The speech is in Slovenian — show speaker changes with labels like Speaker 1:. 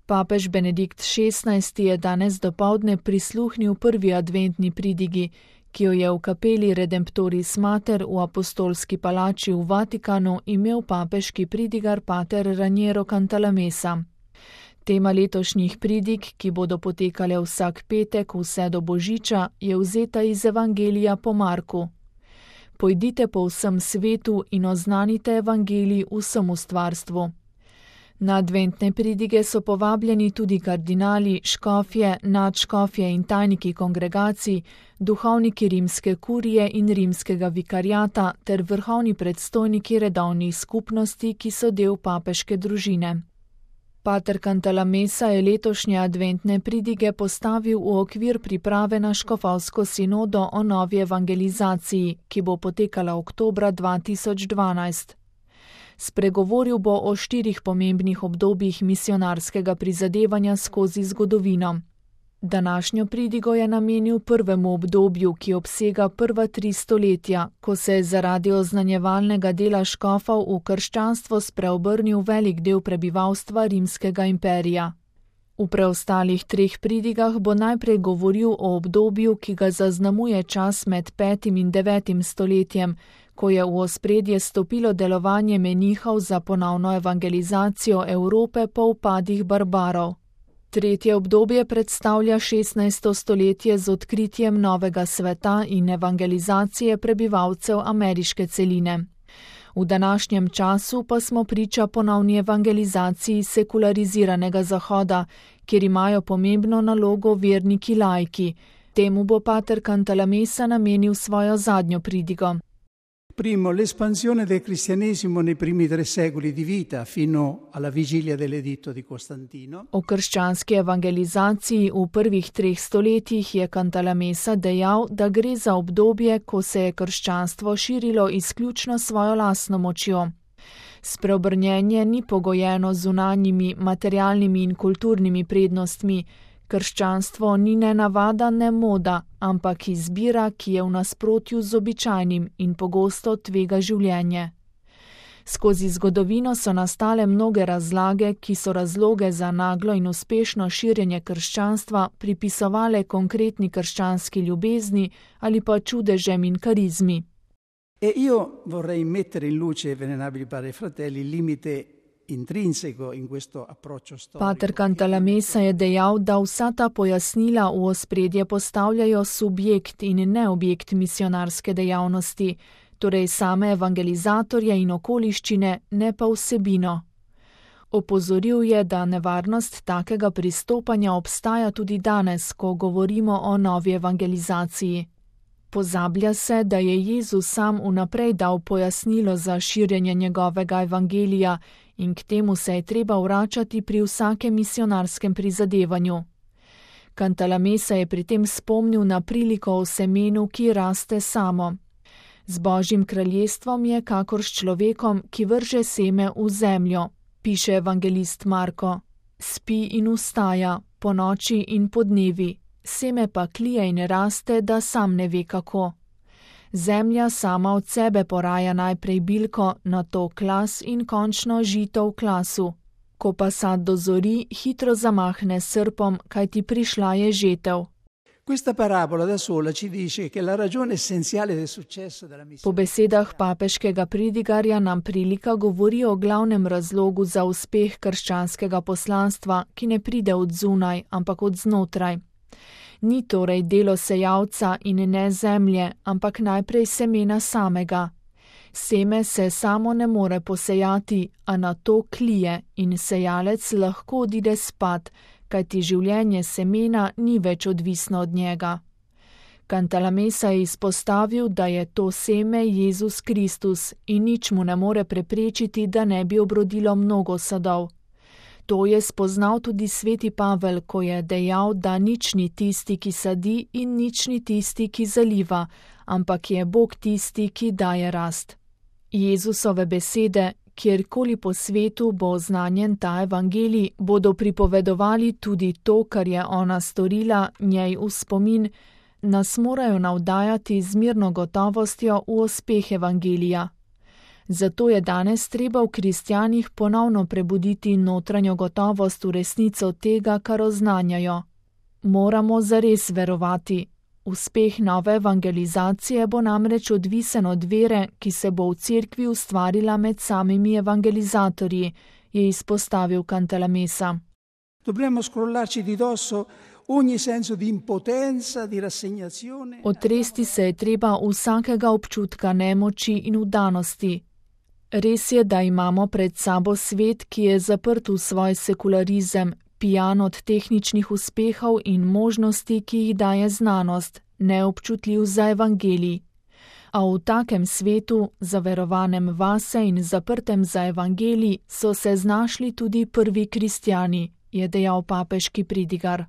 Speaker 1: Papež Benedikt XVI je danes dopoldne prisluhnil prvi adventni pridigi, ki jo je v kapeli Redemptoris Mater v apostolski palači v Vatikanu imel papeški pridigar pater Raniero Cantalamessa. Tema letošnjih pridig, ki bodo potekale vsak petek vse do Božiča, je vzeta iz Evangelija po Marku. Pojdite po vsem svetu in oznanite evangelij vsemu stvarstvu. Na adventne pridige so povabljeni tudi kardinali, škofje, nadškofje in tajniki kongregacij, duhovniki rimske kurije in rimskega vikariata ter vrhovni predstojniki redovnih skupnosti, ki so del papeške družine. Pater Cantalamessa je letošnje adventne pridige postavil v okvir priprave na škofovsko sinodo o novi evangelizaciji, ki bo potekala oktobra 2012. Spregovoril bo o 4 pomembnih obdobjih misionarskega prizadevanja skozi zgodovino. Današnjo pridigo je namenil prvemu obdobju, ki obsega prva 3 stoletja, ko se je zaradi oznanjevalnega dela škofov v krščanstvo spreobrnil velik del prebivalstva rimskega imperija. V preostalih 3 pridigah bo najprej govoril o obdobju, ki ga zaznamuje čas med 5. in 9. stoletjem, ko je v ospredje stopilo delovanje menihov za ponovno evangelizacijo Evrope po upadih barbarov. Tretje obdobje predstavlja 16. stoletje z odkritjem novega sveta in evangelizacije prebivalcev ameriške celine. V današnjem času pa smo priča ponovni evangelizaciji sekulariziranega Zahoda, kjer imajo pomembno nalogo verniki laiki. Temu bo pater Cantalamessa namenil svojo zadnjo pridigo.
Speaker 2: Primo, l'espansione del cristianesimo nei primi 3 secoli di vita, fino alla vigilia dell'editto di Costantino.
Speaker 1: O krščanski evangelizaciji v prvih 3 stoletjih je Cantalamessa dejal, da gre za obdobje, ko se je krščanstvo širilo izključno svojo lastno močjo. Spreobrnjenje ni pogojeno z zunanjimi, materialnimi in kulturnimi prednostmi. Krščanstvo ni ne navada, ne moda, ampak izbira, ki je v nasprotju z običajnim in pogosto tvega življenje. Skozi zgodovino so nastale mnoge razlage, ki so razloge za naglo in uspešno širjenje krščanstva pripisovale konkretni krščanski ljubezni ali pa čudežem in karizmi.
Speaker 2: E io vorrei mettere in luce, venerabili padri e fratelli, il limite intrinseco in questo approccio storico.
Speaker 1: Pater Cantalamessa je dejal, da vsa ta pojasnila v ospredje postavljajo subjekt in ne objekt misionarske dejavnosti, torej same evangelizatorje in okoliščine, ne pa vsebino. Opozoril je, da nevarnost takega pristopanja obstaja tudi danes, ko govorimo o novi evangelizaciji. Pozablja se, da je Jezus sam vnaprej dal pojasnilo za širjenje njegovega evangelija in k temu se je treba vračati pri vsakem misionarskem prizadevanju. Cantalamessa je pri tem spomnil na priliko o semenu, ki raste samo. Z Božjim kraljestvom je kakor s človekom, ki vrže seme v zemljo, piše evangelist Marko. Spi in vstaja, ponoči in podnevi, seme pa klije in raste, da sam ne ve kako. Zemlja sama od sebe poraja najprej bilko, nato klas in končno žito v klasu. Ko pa sad dozori, hitro zamahne srpom, kajti prišla je žetev.
Speaker 2: Questa parabola da sola ci dice che la ragione essenziale del successo della missione.
Speaker 1: Po besedah papeškega pridigarja nam prilika govori o glavnem razlogu za uspeh krščanskega poslanstva, ki ne pride od zunaj, ampak od znotraj. Ni torej delo sejalca in ne zemlje, ampak najprej semena samega. Seme se samo ne more posejati, a nato klije in sejalec lahko odide spat, kajti življenje semena ni več odvisno od njega. Cantalamessa je izpostavil, da je to seme Jezus Kristus in nič mu ne more preprečiti, da ne bi obrodilo mnogo sadov. To je spoznal tudi sveti Pavel, ko je dejal, da nič ni tisti, ki sadi in nič ni tisti, ki zaliva, ampak je Bog tisti, ki daje rast. Jezusove besede, kjerkoli po svetu bo oznanjen ta evangelij, bodo pripovedovali tudi to, kar je ona storila, njej v spomin, nas morajo navdajati z mirno gotovostjo v uspeh evangelija. Zato je danes treba v kristjanih ponovno prebuditi notranjo gotovost v resnico tega, kar oznanjajo. Moramo zares verovati. Uspeh nove evangelizacije bo namreč odvisen od vere, ki se bo v cerkvi ustvarila med samimi evangelizatorji, je izpostavil Cantalamessa.
Speaker 2: Dobbiamo scrollarci di dosso ogni senso di impotenza, di rassegnazione.
Speaker 1: Otresti se je treba vsakega občutka nemoči in vdanosti. Res je, da imamo pred sabo svet, ki je zaprt v svoj sekularizem, pijan od tehničnih uspehov in možnosti, ki jih daje znanost, neobčutljiv za evangelij. A v takem svetu, zaverovanem vase in zaprtem za evangelij, so se znašli tudi prvi kristjani, je dejal papeški pridigar.